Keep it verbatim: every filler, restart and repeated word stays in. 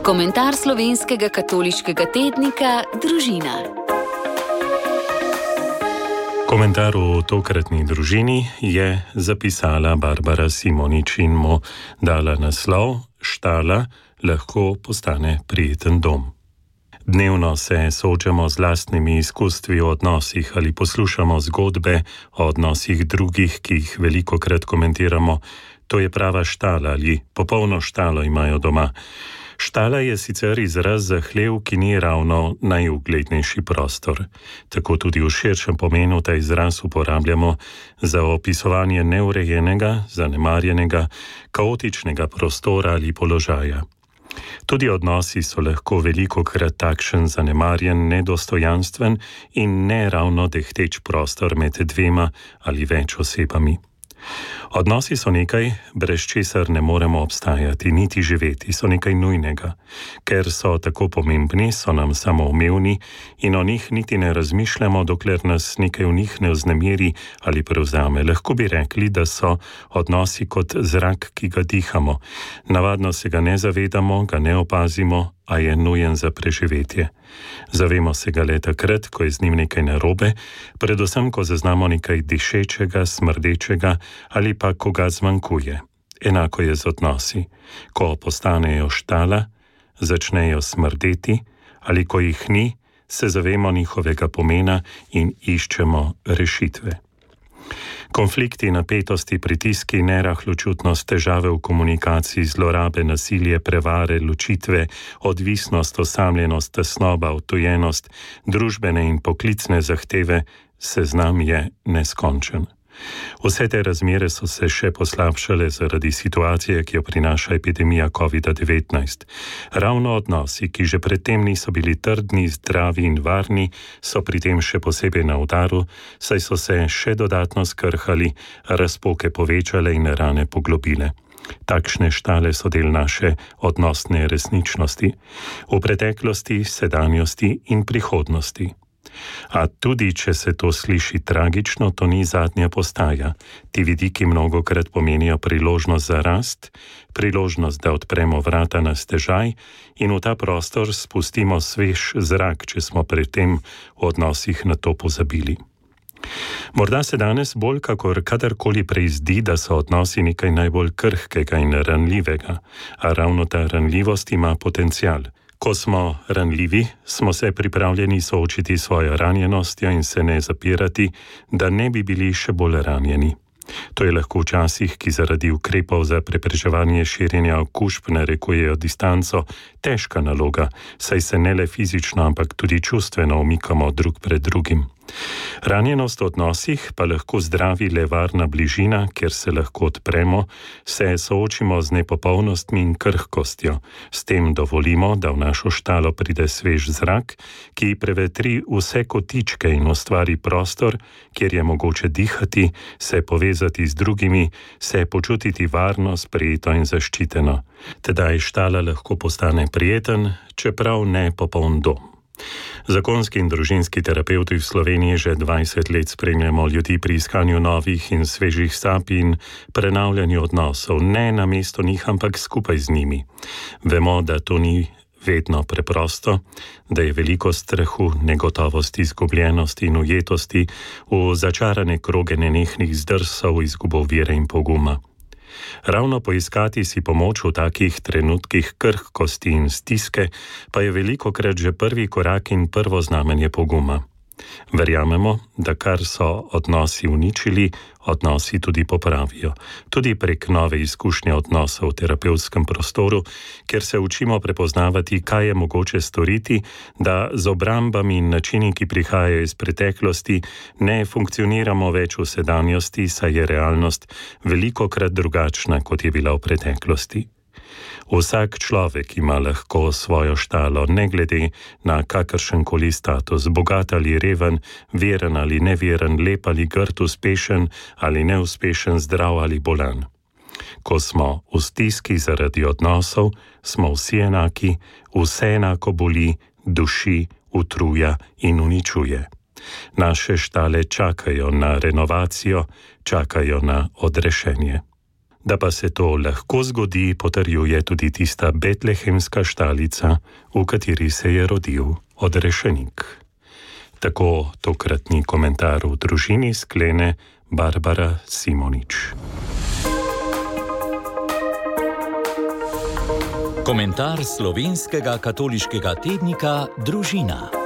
Komentar slovenskega katoliškega tednika Družina. Komentar v tokratni Družini je zapisala Barbara Simonič in mu dala naslov Štala lahko postane prijeten dom. Dnevno se soočamo z lastnimi izkustvi o odnosih ali poslušamo zgodbe o odnosih drugih, ki jih velikokrat komentiramo. To je prava štala ali popolno štalo imajo doma. Štala je sicer izraz za hlev, ki ni ravno najuglednejši prostor. Tako tudi v širšem pomenu ta izraz uporabljamo za opisovanje neurejenega, zanemarjenega, kaotičnega prostora ali položaja. Tudi odnosi so lahko velikokrat takšen zanemarjen, nedostojanstven in ne ravno dehteč prostor med dvema ali več osebami. Odnosi so nekaj, brez česar ne moremo obstajati, niti živeti, so nekaj nujnega. Ker so tako pomembni, so nam samoumevni in o njih niti ne razmišljamo, dokler nas nekaj v njih ne vznemiri ali prevzame. Lahko bi rekli, da so odnosi kot zrak, ki ga dihamo. Navadno se ga ne zavedamo, ga ne opazimo, a je nujen za preživetje. Zavemo se ga le takrat, ko je z njim nekaj narobe, predvsem, ko zaznamo nekaj dišečega, smrdečega ali pa ko ga zmanjkuje. Enako je z odnosi. Ko postanejo štala, začnejo smrdeti ali ko jih ni, se zavemo njihovega pomena in iščemo rešitve. Konflikti, napetosti, pritiski, nerahločutnost, težave v komunikaciji, zlorabe, nasilje, prevare, ločitve, odvisnost, osamljenost, tesnoba, odtujenost, družbene in poklicne zahteve, seznam je neskončen. Vse te razmere so se še poslabšale zaradi situacije, ki jo prinaša epidemija kovida devetnajst. Ravno odnosi, ki že predtem niso bili trdni, zdravi in varni, so pri tem še posebej na udaru, saj so se še dodatno skrhali, razpoke povečale in rane poglobile. Takšne štale so del naše odnosne resničnosti, v preteklosti, sedanjosti in prihodnosti. A tudi, če se to sliši tragično, to ni zadnja postaja. Ti vidiki mnogokrat pomenijo priložnost za rast, priložnost, da odpremo vrata na stežaj in v ta prostor spustimo svež zrak, če smo pred tem v odnosih na to pozabili. Morda se danes bolj kakor kadarkoli prej zdi, da so odnosi nekaj najbolj krhkega in ranljivega, a ravno ta ranljivost ima potencial. Ko smo ranljivi, smo se pripravljeni soočiti svojo ranjenostjo in se ne zapirati, da ne bi bili še bolj ranjeni. To je lahko včasih, ki zaradi ukrepov za preprečevanje širjenja okužb narekujejo distanco, težka naloga, saj se ne le fizično, ampak tudi čustveno umikamo drug pred drugim. Ranjenost v odnosih pa lahko zdravi le varna bližina, kjer se lahko odpremo, se soočimo z nepopolnostmi in krhkostjo. S tem dovolimo, da v našo štalo pride svež zrak, ki prevetri vse kotičke in ustvari prostor, kjer je mogoče dihati, se povezati z drugimi, se počutiti varno, sprejeto in zaščiteno. Tedaj štala lahko postane prijeten, čeprav ne popoln dom. Zakonski in družinski terapevti v Sloveniji že dvajset let spremljamo ljudi pri iskanju novih in svežih sap in prenavljanju odnosov, ne namesto njih, ampak skupaj z njimi. Vemo, da to ni vedno preprosto, da je veliko strahu, negotovosti, izgubljenosti in ujetosti, v začarane kroge nenehnih zdrsov, izgubo vere in poguma. Ravno poiskati si pomoč v takih trenutkih krhkosti in stiske pa je velikokrat že prvi korak in prvo znamenje poguma. Verjamemo, da kar so odnosi uničili, odnosi tudi popravijo. Tudi prek nove izkušnje odnosov v terapevtskem prostoru, kjer se učimo prepoznavati, kaj je mogoče storiti, da z obrambami in načini, ki prihajajo iz preteklosti, ne funkcioniramo več v sedanjosti, saj je realnost velikokrat drugačna, kot je bila v preteklosti. Vsak človek ima lahko svojo štalo, ne glede na kakršenkoli status, bogat ali reven, veren ali neveren, lep ali grd, uspešen ali neuspešen, zdrav ali bolan. Ko smo v stiski zaradi odnosov, smo vsi enaki, vse enako boli, duši, utruja in uničuje. Naše štale čakajo na renovacijo, čakajo na odrešenje. Da pa se to lahko zgodi, potrjuje tudi tista betlehemska štalica, v kateri se je rodil odrešenik. Tako tokratni komentar v družini sklene Barbara Simonič. Komentar slovenskega katoliškega tednika Družina.